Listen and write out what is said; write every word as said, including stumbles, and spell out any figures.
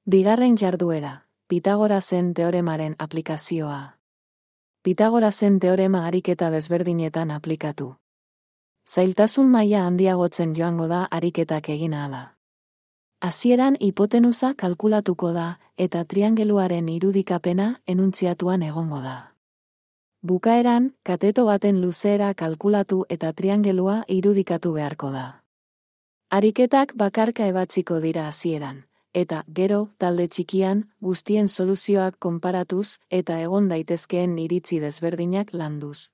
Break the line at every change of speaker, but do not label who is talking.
Bigarren jarduera, Pitagorasen teoremaren aplikazioa. Pitagorasen teorema ariketa desberdinetan aplikatu. Zailtasun maila handiagotzen joango da ariketak egin ahala. Hasieran hipotenusa kalkulatuko da, eta triangeluaren irudikapena enuntziatuan egongo da. Bukaeran, kateto baten luzeera kalkulatu eta triangelua irudikatu beharko da. Ariketak bakarka ebatziko dira hasieran, eta, gero, talde txikian, guztien soluzioak konparatuz eta egon daitezkeen iritzi desberdinak landuz.